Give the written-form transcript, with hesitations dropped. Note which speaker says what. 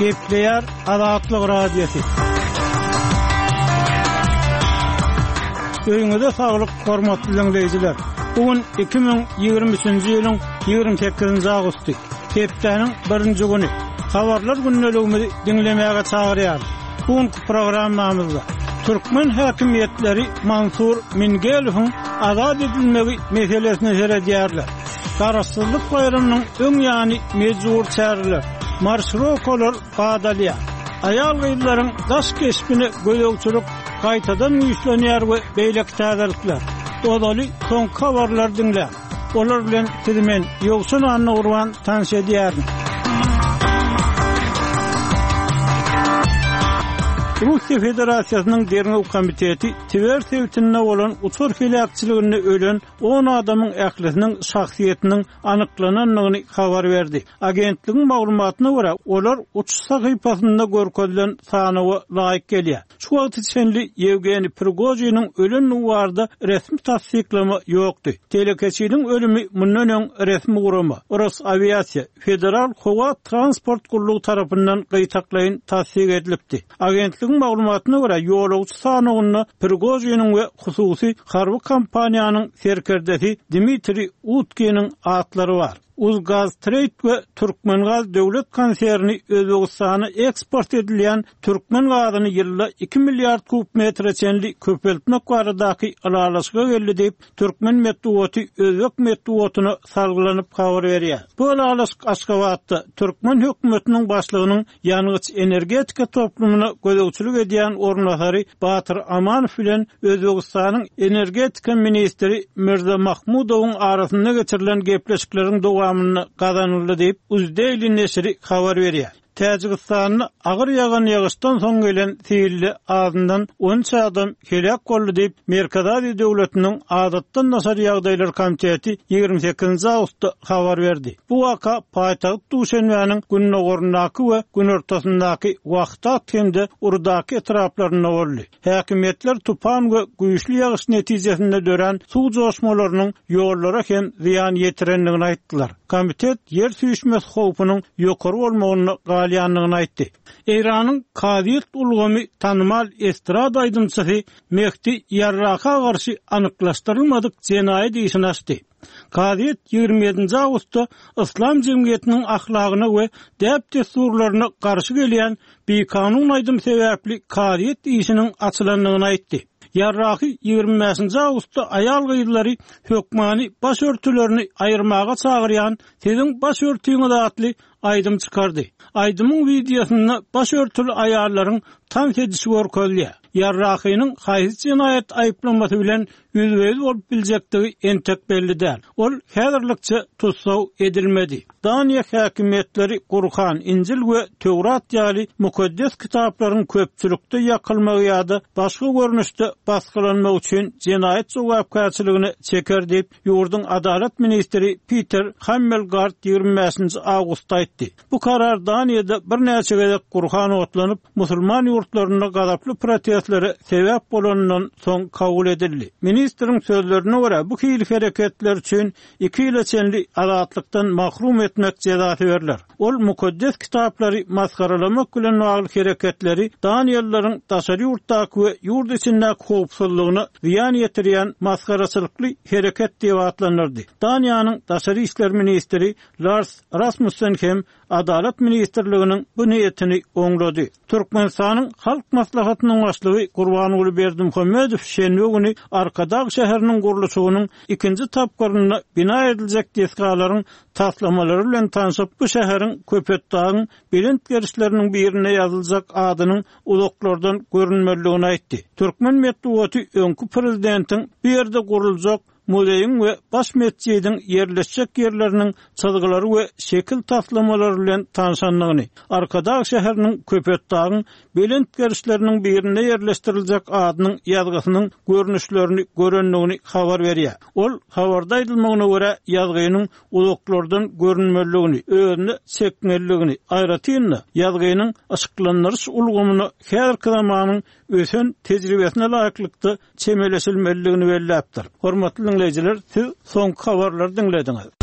Speaker 1: Gepleýär Azatlyk Radiosy. Öýüňize saglyk, hormatly diňleýjiler! Bu gün 2023-nji ýylyň 28-nji awgusty, hepdäniň birinji güni. Habarlar gündeligimizi diňlemäge çagyrýarys. Bu günki programmamyzda türkmen häkimiýetleri Mansur Mingelowyň azat edilmegi meselesine seredýärler. Garaşsyzlyk baýramynyň öň ýany mejbury çäreler, marşirokalar badalýar. Aýal-gyzlaryň daş keşbine gözegçilik gaýtadan güýçlenýär we beýleki täzelikler. Ozaly soňky habarlary diňläň. Olar bilen sizi men, Ýowşan Annagurban tanyş edýärin. Russiýa Federasiýasynyň Derňew komiteti Twer sebitinde bolan uçar heläkçiliginde ölen on adamyň ählisiniň şahsyýetiniň anyklanandygyny habar berdi. Agentligiň maglumatyna görä, olar uçuş sahypasynda görkezilen sanawa laýyk gelýär. Şu wagta çenli Ýewgeniý Prigožiniň ölendigi barada resmi tassyklama ýokdy. Telekeçiniň ölümi mundan öň resmi gurama, Rosawiasiýa federal howa transport gullugy tarapyndan gytaklaýyn tassyk edilipdi. Agentligiň maglumatyna görä, ýolagçy sanawynda Prigožiniň we hususy harby kompaniýanyň serkerdesi Dmitriý Utkiniň atlary bar. Uzgaztreýd we Türkmengaz döwlet konserni Özbegistana eksport edilýän türkmen gazyny ýylda iki milliard kub metre çenli köpeltmek baradaky ylalaşyga geldi diýip, türkmen metbugaty özbek metbugatyna salgylanyp habar berýär. Bu ylalaşyk Aşgabatda türkmen hökümetiniň başlygynyň Ýangyç-energetika toplumyna gözegçilik edýän orunbasary Batyr Amanow bilen Özbegistanyň energetika ministri Mirza Mahmudowyň arasynda geçirilen gepleşikleriň dowamynda gazanyldy diýip, Uzdaily neşiri habar berýär. Täjigistanda agyr ýagan ýagyşdan soň gelen silde azyndan 13 adam heläk boldy diýip, Merkezi Aziýa döwletiniň Adatdan daşary ýagdaýlar komiteti 28-nji awgustda habar berdi. Bu waka paýtagt Duşenbäniň gündogaryndaky we günortasyndaky Wahdat hem-de Rudaki etraplarynda boldy. Häkimiýetler tupan we güýçli ýagyş netijesinde dörän suw joşmalarynyň ýollara hem zyýan ýetirendigini aýtdylar. Komitet ýer süýşmesi howpunyň ýokary bolmagynda galýandygyny aýtdy. Eýranyň kazyýet ulgamy tanymal estrada aýdymçysy Mehdi Ýarraka garşy anyklaşdyrylmadyk jenaýat işini açdy. Kazyýet 27-nji awgustda yslam jemgyýetiniň ahlagyna we däp-dessurlaryna garşy gelýän bikanun aýdym sebäpli kazyýet işiniň açylandygyny aýtdy. Ýarrahy 25-nji awgustda aýal-gyzlary hökmany baş örtülerini aýyrmaga çagyrýan Siziň baş örtüňiz atly aýdym çykardy. Aýdymyň wideosynda baş örtüli aýallaryň tans edişi görkezilýär. Ýarrahynyň haýsy jenaýat aýyplamasy bilen ýüzbe-ýüz bolup biljekdigi entek belli däl. Ol häzirlikçe tussag edilmedi. Daniýa häkimiýetleri Gurhan, Injil we Töwrat ýaly mukaddes kitaplaryň köpçülikde ýakylmagy ýa-da başga görnüşde basgylanmagy üçin jenaýat jogapkärçiligine çeker diýip, ýurduň adalat ministri Piter Hammelgard 25-nji awgustda aýtdy. Bu karar Daniýada birnäçe gezek Gurhan otlanyp, musulman ýurtlarynda gazaply protestlere sebäp bolanyndan soň kabul edildi. Ministriň sözlerine görä, bu hili hereketler üçin iki ýyla çenli azatlykdan mahrum etmek jezasy berler. Ol mukaddes kitaplary masgaralamak bilen bagly hereketleri daniýalylaryň daşary ýurtdaky we ýurt içindäki howpsuzlygyna zyýan ýetirýän masgaraçylykly hereket diýip atlandyrdy. Daniýanyň daşary işler ministri Lars Rasmussen hem Adalat ministrliginiň bu niýetini oňlady. Türkmenistanyň Halk Maslahatynyň Başlygy Gurbanguly Berdimuhamedow şenbe güni Arkadag şäheriniň gurluşygynyň ikinji tapgyrynda bina ediljek desgalaryň taslamalary bilen tanşyp, bu şäheriň Köpetdagyň belent gerişleriniň birinde ýazyljak adynyň uzaklardan görünmelidigini aýtdy. Türkmen metbugaty öňki prezidentiň bu ýerde guruljak muzeýiň we baş metjidiň ýerleşjek ýerleriniň çyzgylary we şekil taslamalary bilen tanşandygyny, Arkadag şäheriniň Köpetdagyň belent gerişleriniň birinde ýerleşdiriljek adynyň ýazgysynyň görnüşlerini görendigini habar berýär. Ol habarda aýdylmagyna görä, ýazgynyň uzaklardan görünmelidigini, özüne çekmelidigini, aýratyn-da, ýazgynyň yşyklandyryş ulgamyna häzirki zamanyň ösen tejribesine laýyklykda çemeleşilmelidigini belläpdir. Hormatly diňleýjiler, siz soňky habarlary diňlediňiz.